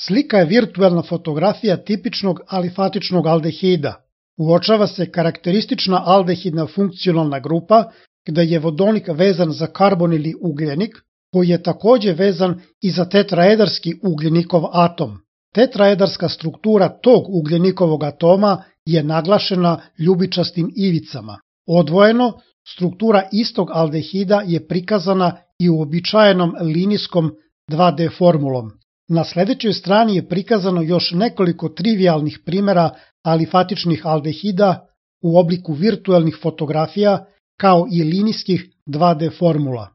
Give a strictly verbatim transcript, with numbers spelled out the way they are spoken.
Slika je virtuelna fotografija tipičnog alifatičnog aldehida. Uočava se karakteristična aldehidna funkcionalna grupa gde je vodonik vezan za karbon ili ugljenik, koji je takođe vezan i za tetraedarski ugljenikov atom. Tetraedarska struktura tog ugljenikovog atoma je naglašena ljubičastim ivicama. Odvojeno, struktura istog aldehida je prikazana i uobičajenom linijskom dva de formulom. Na sledećoj strani je prikazano još nekoliko trivialnih primera alifatičnih aldehida u obliku virtuelnih fotografija kao i linijskih dva de formula.